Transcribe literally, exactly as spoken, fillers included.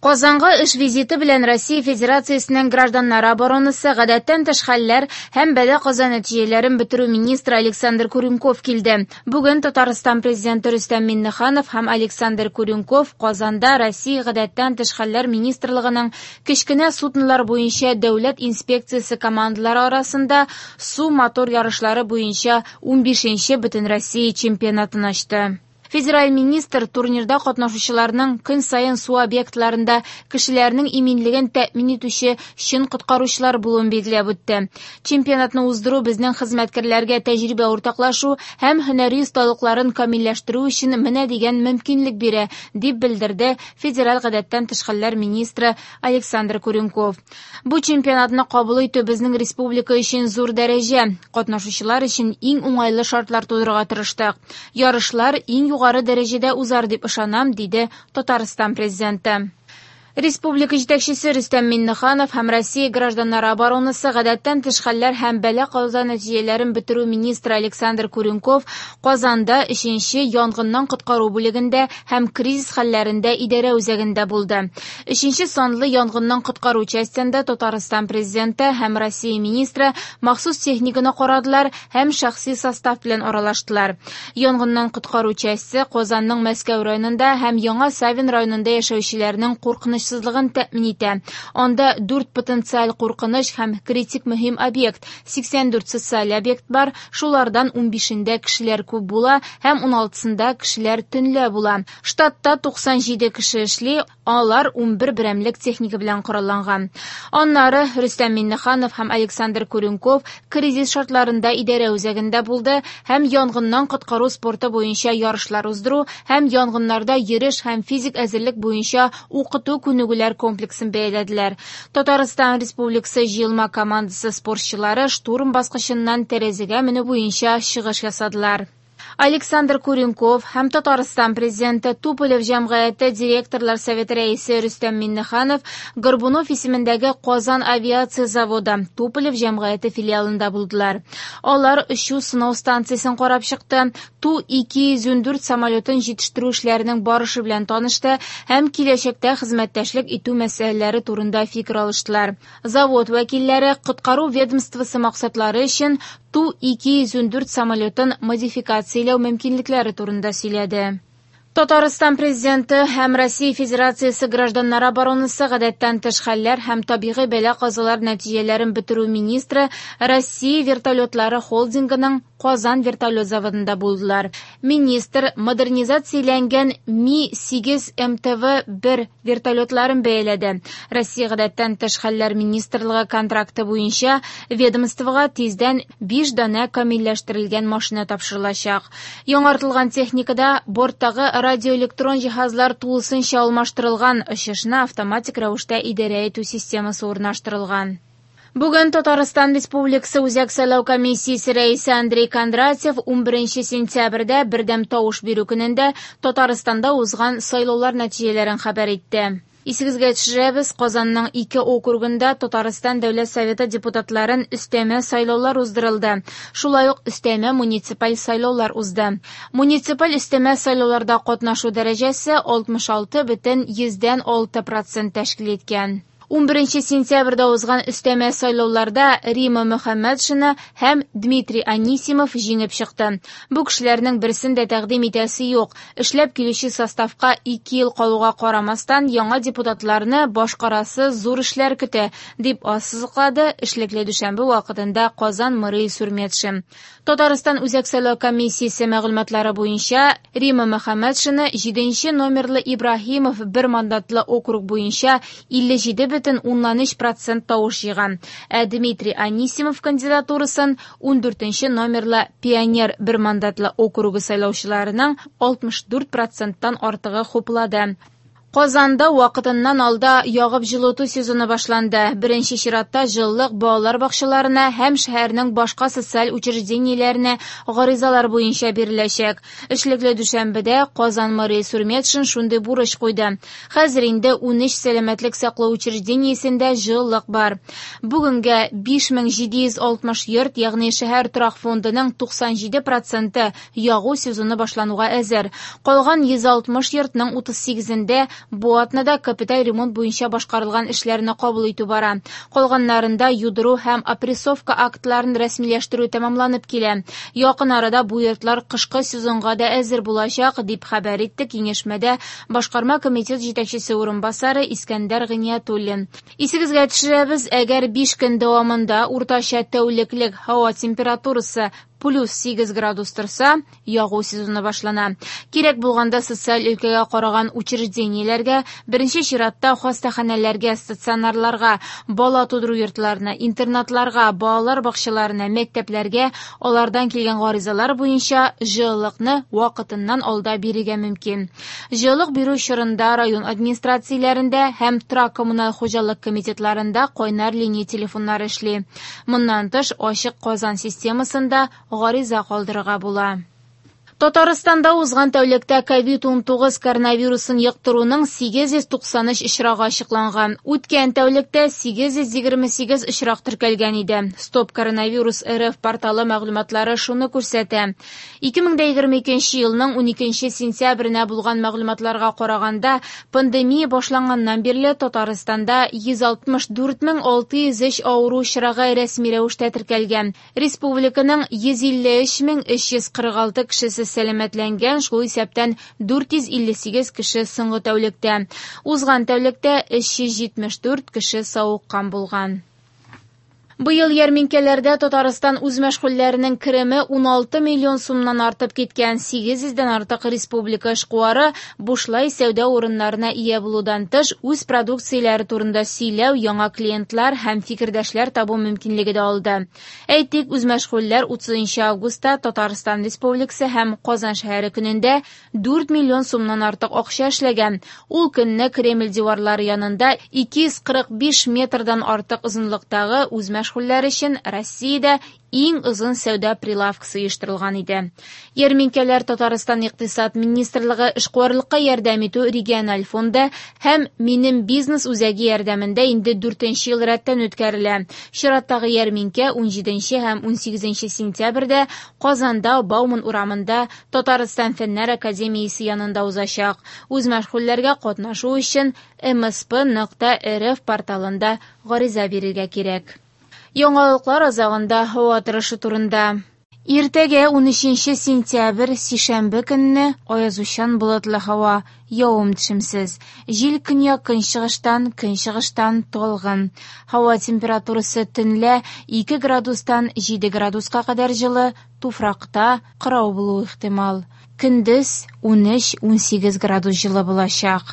Казанга эш визиты белән Россия Федерациясенең гражданнар оборонасы, гадәттән тыш хәлләр һәм бәла-каза нәтиҗәләрен бетерү министры Александр Куренков килде. Бүген Татарстан президенты Рөстәм Миңнеханов һәм Александр Куренков Казанда Россия гадәттән тыш хәлләр министрлыгының кечкенә суднолар буенча дәүләт инспекциясе командалары арасында су мотор ярышлары буенча унбишенче Бөтенроссия чемпионатын ачты. Федераль министр турнирда катнашучыларның көн саен су объектларында кешеләрнең иминлеген тәэмин итүче чын коткаручылар булуын билгеләп үтте. Чемпионатны уздыру безнең хезмәткәрләргә тәҗрибә уртаклашу һәм һөнәри осталыкларын камилләштерү өчен менә дигән мөмкинлек бирә, дип белдерде федераль гадәттән тыш хәлләр министры Александр Куренков. Бу чемпионатны кабул итү безнең республика өчен зур дәрәҗә, катнашучылар өчен иң уңайлы шартлар тудырырга тырыштык. Ярышлар иң югары дәрәҗәдә узар дип ышанам, диде Татарстан президенты. Республика җитәкчесе Рөстәм Миңнеханов һәм Россия гражданнары оборонасы, гадәттән тыш хәлләр һәм бәла-каза нәтиҗәләрен бетерү министры Александр Куренков Казанда өченче янгыннан коткару бүлегендә һәм кризис хәлләрендә идарә үзәгендә булды. Өченче санлы янгыннан коткару частендә Татарстан президенты һәм Россия министры махсус техниканы карадылар һәм шәхси состав белән аралаштылар. Янгыннан коткару часте Казанның Мәскәү районында һәм Яңа Савин районында яшәүчеләрнең куркыныч сызлыгын тәэмин итә. Анда дүрт потенциаль куркыныч һәм критик мөһим объект, сиксән дүрт социаль объект бар, шулардан унбишендә кешеләр күп була һәм уналтысында кешеләр төнлә була. Штатта туксан җиде кеше эшли, алар унбер берәмлек техника белән коралланган. Аннары Рөстәм Миңнеханов һәм Александр Куренков кризис шартларында идарә үзәгендә булды һәм янгыннан коткару спорты буенча ярышлар уздыру һәм янгыннарда йөреш һәм физик әзерлек буенча укыту күнегүләр комплексын бәяләделәр. Татарстан Республикасы җыелма командасы спортчылары штурм баскычыннан тәрәзәгә менү буенча чыгыш ясадылар. Александр Куренков һәм Татарстан президенты Туполев җәмгыяте директорлар советы рәисе Рөстәм Миңнеханов Горбунов исемендәге Казан авиация заводы Туполев җәмгыяте филиалында булдылар. Алар очу сынау станциясен карап чыкты, Ту ике йөз ундүрт самолетын җитештерү эшләренең барышы белән танышты һәм киләчәктә хезмәттәшлек итү мәсьәләләре турында фикер алыштылар. Завод вәкилләре коткару ведомствосы максатлары өчен Ту ике йөз ундүрт самолетын модификацияләү мөмкинлекләре турында сөйләде. Татарстан президенты һәм Россия Федерациясе гражданнар оборонасы, гадәттән тыш хәлләр һәм табигый бәла-казалар нәтиҗәләрен бетерү министры Россия вертолетлары холдингының Казан вертолет заводында булдылар. Министр модернизацияләнгән Ми сигез эм тэ вэ бер вертолетларын бәяләде. Россия гадәттән тыш хәлләр министрлыгы контракты буенча ведомствога тиздән биш данә камилләштерелгән машина тапшырылачак. Яңартылган техникада борттагы радиоэлектрон җиһазлар тулысынча алмаштырылган, очышны автоматик рәвештә идарә итү системасы урнаштырылган. Бүген Татарстан Республикасы Үзәк сайлау комиссиясе рәисе Андрей Кондратьев унберенче сентябрьдә бердәм тавыш бирү көнендә Татарстанда узган сайлаулар нәтиҗәләрен хәбәр итте. Исегезгә төшерәбез, Казанның ике округында Татарстан Дәүләт Советы депутатларын өстәмә сайлаулар уздырылды. Шулай ук өстәмә муниципаль сайлаулар узды. Муниципаль өстәмә сайлауларда катнашу дәрәҗәсе алтмыш алты бөтен йөздән алты процент тәшкил иткән. Унберенче сентябрьдә узган өстәмә сайлауларда Рима Мөхәммәтшина һәм Дмитрий Анисимов җиңеп чыкты. Бу кешеләрнең берсен дә тәкъдим итәсе юк. Эшләп килүче составка ике ел калуга карамастан, яңа депутатларны башкарасы зур эшләр көтә, дип ассызыклады эшлекле дүшәмбе вакытында Казан мэры Илсур Метшин. Татарстан Үзәк сайлау комиссиясе мәгълүматлары буенча Рима Мөхәммәтшина җиденче номерлы Ибраһимов бер мандатлы округ буенча илле җиде бөтен уннан өч процент тавыш җыйган. Ә Дмитрий Анисимов кандидатурасын ундүртенче номерлы Пионер бер мандатлы округы сайлаучыларының алтмыш дүрт проценттан артыгы хуплады. Казанда вакытыннан алда ягып җылыту сезоны башланды. Беренче чиратта җылылык балалар бакчаларына һәм шәһәрнең башка социаль учреждениеләренә гаризалар буенча биреләчәк. Эшлекле дүшәмбедә Казан мэры Илсур Метшин шундый бурыч куйды. Хәзер инде унөч сәламәтлек саклау учреждениесендә җылылык бар. Бүгенгә биш мең җиде йөз алтмыш йорт, ягъни шәһәр торак фондының туксан җиде проценты ягу сезоны башлануга әзер. Калган йөз алтмыш йортның утыз сигезендә Бу атнада капиталь ремонт буенча башкарылган эшләрне кабул итү бара. Калганнарында юдыру һәм опрессовка актларын рәсмиләштерү тәмамланып килә. Якын арада бу йортлар кышкы сезонга да әзер булачак, дип хәбәр итте киңәшмәдә Башкарма комитет җитәкчесе урынбасары Искәндәр Гыйниятуллин. Исегезгә төшерәбез, әгәр биш көн дәвамында уртача тәүлеклек һава температурасы плюс сигез градус торса, ягу сезоны башлана. Кирәк булганда социаль өлкәгә караган учреждениеләргә, беренче чиратта хастаханәләргә, стационарларга, бала тудыру йортларына, интернатларга, балалар бакчаларына, мәктәпләргә алардан килгән гаризалар буенча җылылыкны вакытыннан алда бирергә мөмкин. Җылылык бирү чорында район администрацияләрендә һәм торак коммуналь хуҗалык комитетларында кайнар линия телефоннары эшли. Моннан тыш, Ачык Казан системасында гариза калдырырга була. Татарстанда узган тәүлектә ковид унтугыз коронавирусын йоктыруның сигез йөз туксан өч очрагы ачыкланган. Үткән тәүлектә сигез йөз егерме сигез очрак теркәлгән иде. Стоп коронавирус эр эф порталы мәгълүматлары шуны күрсәтә. ике мең дә егерме икенче елның уникенче сентябренә булган мәгълүматларга караганда, пандемия башланганнан бирле Татарстанда йөз алтмыш дүрт мең алты йөз өч авыру очрагы рәсми рәвештә теркәлгән. Республиканың йөз илле өч мең өч йөз кырык алты кешесе сәламәтләнгән, шул исәптән дүрт йөз илле сигез кеше соңгы тәүлектә. Узган тәүлектә өч йөз җитмеш дүрт кеше савыккан булган. Быел ярминкәләрдә Татарстан үзмәшгульләренең кереме уналты миллион сумнан артып киткән. Сигез йөздән артык республика эшкуары бушлай сәүдә урыннарына ия булудан тыш, үз продукцияләре турында сөйләү, яңа клиентлар һәм фикердәшләр табу мөмкинлеге дә алды. Әйтик, үзмәшгульләр утызынчы августта Татарстан Республикасы һәм Казан шәһәре көнендә дүрт миллион сумнан артык акча эшләгән. Ул көнне Кремль диварлары янында ике йөз кырык биш метрдан артык озынлыктагы үзмәшгульләр өчен Россиядә иң озын сәүдә прилавкасы оештырылган иде. Ярминкәләр Татарстан Икътисад министрлыгы эшкуарлыкка ярдәм итү региональ фонды һәм Минем бизнес үзәге ярдәмендә инде дүртенче ел рәттән үткәрелә. Чираттагы ярминкә унҗиденче һәм унсигезенче сентябрьдә Казанда Бауман урамында Татарстан Фәннәр академиясе янында узачак. Үзмәшгульләргә катнашу өчен эм эс пэ нокта эр эф порталында гариза бирергә кирәк. Яңалыклар азагында һава торышы турында. Иртәгә унөченче сентябрь сишәмбе көнне аязучан болытлы һава, явым-төшемсез. Җил көньяк көнчыгыштан, көнчыгыштан талгын. Һава температурасы төнлә ике градустан җиде градуска кадәр җылы, туфракта кырау булуы ихтимал. Көндез унөч-унсигез градус җылы булачак.